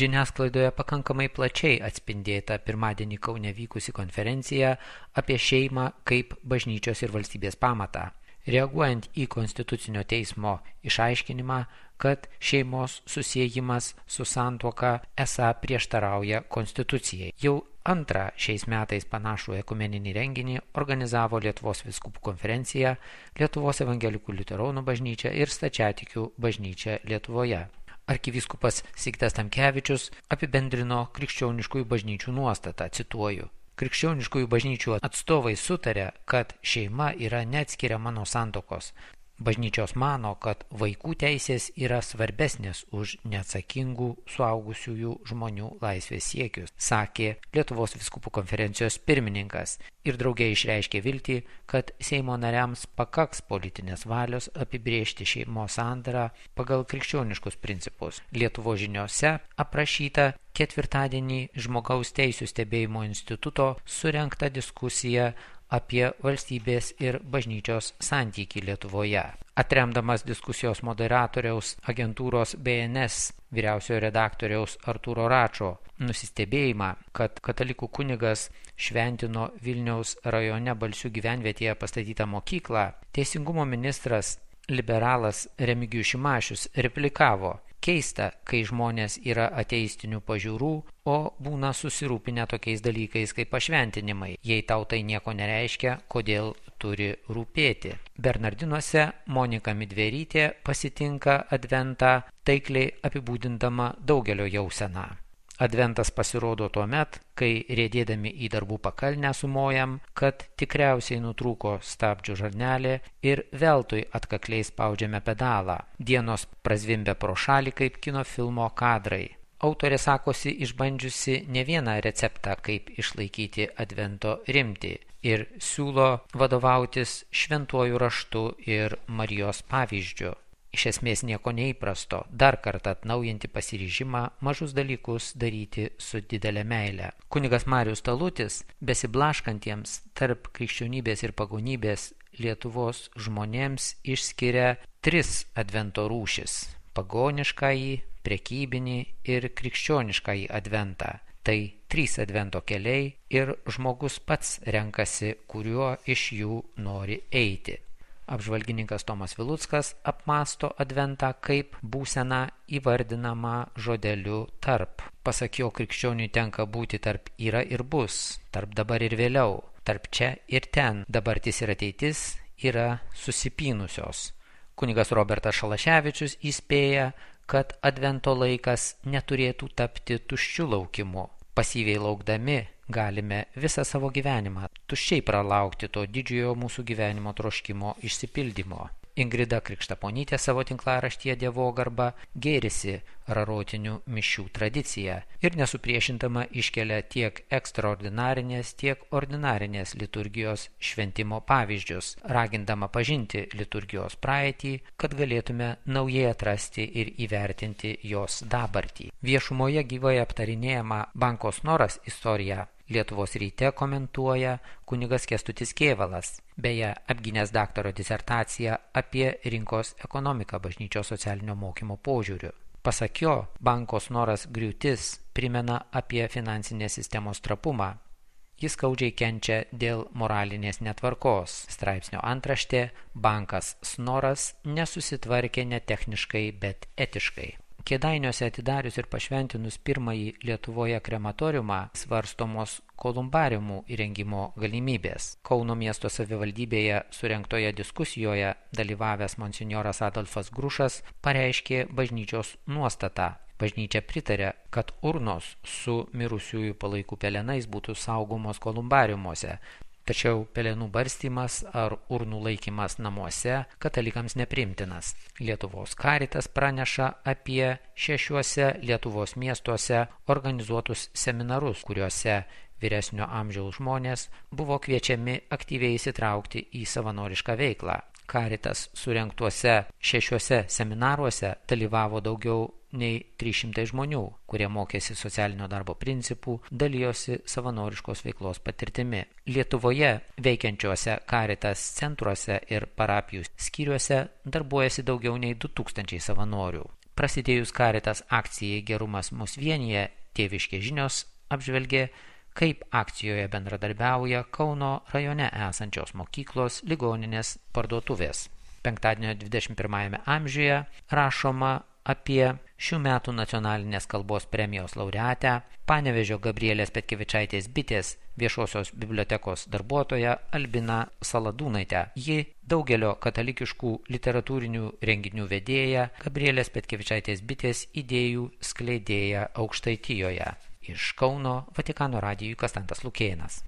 Žiniasklaidoje pakankamai plačiai atspindėta pirmadienį Kaune vykusi konferencija apie šeimą kaip bažnyčios ir valstybės pamatą. Reaguojant į Konstitucinio teismo išaiškinimą, kad šeimos susiejimas su santuoka esą prieštarauja Konstitucijai. Jau antrą šiais metais panašų ekumeninį renginį organizavo Lietuvos vyskupų konferencija, Lietuvos evangelikų liuteronų bažnyčia ir Stačiatikių bažnyčia Lietuvoje. Arkivyskupas Sigitas Tamkevičius apibendrino krikščioniškųjų bažnyčių nuostatą, cituoju. Krikščioniškųjų bažnyčių atstovai sutarė, kad šeima yra neatskiriama nuo santuokos. Bažnyčios mano, kad vaikų teisės yra svarbesnės už neatsakingų suaugusiųjų žmonių laisvės siekius, sakė Lietuvos vyskupų konferencijos pirmininkas ir drauge išreiškė viltį, kad Seimo nariams pakaks politinės valios apibrėžti šeimos sandarą pagal krikščioniškus principus. Lietuvos žiniose aprašyta ketvirtadienį Žmogaus teisių stebėjimo instituto surengta diskusija apie valstybės ir bažnyčios santykį Lietuvoje. Atremdamas diskusijos moderatoriaus agentūros BNS vyriausiojo redaktoriaus Artūro Račo nusistebėjimą, kad katalikų kunigas šventino Vilniaus rajone Balsių gyvenvietėje pastatytą mokyklą, teisingumo ministras liberalas Remigijus Šimašius replikavo: keista, kai žmonės yra ateistinių pažiūrų, o būna susirūpinę tokiais dalykais kaip pašventinimai. Jei tau tai nieko nereiškia, kodėl turi rūpėti? Bernardinuose Monika Midverytė pasitinka adventą taikliai apibūdindama daugelio jauseną. Adventas pasirodo tuo met, kai riedėdami į darbų pakalnę sumojam, kad tikriausiai nutrūko stabdžių žarnelė ir veltui atkakliai spaudžiame pedalą. Dienos prazvimbia pro šalį kaip kino filmo kadrai. Autorė sakosi išbandžiusi ne vieną receptą, kaip išlaikyti advento rimtį ir siūlo vadovautis šventuoju raštu ir Marijos pavyzdžiu. Iš esmės nieko neįprasto, dar kartą atnaujinti pasiryžimą mažus dalykus daryti su didelė meile. Kunigas Marius Talutis, besiblaškantiems tarp krikščionybės ir pagonybės Lietuvos žmonėms išskiria 3 advento rūšis – pagoniškąjį, prekybinį ir krikščioniškąjį adventą. Tai 3 advento keliai ir žmogus pats renkasi, kuriuo iš jų nori eiti. Apžvalgininkas Tomas Viluckas apmąsto adventą kaip būseną įvardinamą žodeliu tarp. Pasak jo, krikščioniui tenka būti tarp yra ir bus, tarp dabar ir vėliau, tarp čia ir ten, dabartis ir ateitis yra susipynusios. Kunigas Robertas Šalaševičius įspėja, kad advento laikas neturėtų tapti tuščiu laukimu. Pasyviai laukdami galime visą savo gyvenimą tuščiai pralaukti to didžiojo mūsų gyvenimo troškimo išsipildymo. Ingrida Krikštaponytė savo tinklaraštyje Dievogarba gėrisi rarotinių mišių tradiciją ir nesupriešintama iškelia tiek ekstraordinarinės, tiek ordinarinės liturgijos šventimo pavyzdžius, ragindama pažinti liturgijos praeitį, kad galėtume naujai atrasti ir įvertinti jos dabartį. Viešumoje gyvai aptarinėjama Banko Snoras istorija Lietuvos ryte komentuoja kunigas Kęstutis Kėvalas, beje, apgynęs daktaro disertaciją apie rinkos ekonomiką bažnyčios socialinio mokymo požiūriu. Pasak jo, Banko Snoras griūtis primena apie finansinės sistemos trapumą. Jis skaudžiai kenčia dėl moralinės netvarkos. Straipsnio antraštė – Bankas Snoras nesusitvarkė ne techniškai, bet etiškai. Kėdainiuose atidarius ir pašventinus pirmąjį Lietuvoje krematoriumą svarstomos kolumbariumų įrengimo galimybės. Kauno miesto savivaldybėje surengtoje diskusijoje dalyvavęs monsinjoras Adolfas Grušas pareiškė bažnyčios nuostatą. Bažnyčia pritarė, kad urnos su mirusiųjų palaikų pelenais būtų saugomos kolumbariumuose. Tačiau pelenų barstymas ar urnų laikymas namuose katalikams nepriimtinas. Lietuvos Karitas praneša apie 6 Lietuvos miestuose organizuotus seminarus, kuriuose vyresnio amžiaus žmonės buvo kviečiami aktyviai įsitraukti į savanorišką veiklą. Karitas surengtuose 6 seminaruose dalyvavo daugiau nei 300 žmonių, kurie mokėsi socialinio darbo principų, dalijosi savanoriškos veiklos patirtimi. Lietuvoje veikiančiuose Karitas centruose ir parapijų skyriuose darbuojasi daugiau nei 2000 savanorių. Prasidėjus Caritas akcijai Gerumas mus vienyje, Tėviškės žinios apžvelgė, kaip akcijoje bendradarbiauja Kauno rajone esančios mokyklos, ligoninės, parduotuvės. Penktadienio 21 amžiuje rašoma apie šių metų nacionalinės kalbos premijos laureatę, Panevėžio Gabrielės Petkevičaitės bitės viešosios bibliotekos darbuotoją Albiną Saladūnaitę. Ji daugelio katalikiškų literatūrinių renginių vedėja, Gabrielės Petkevičaitės bitės idėjų skleidėja Aukštaitijoje. Iš Kauno Vatikano radijui Konstantas Lukėnas.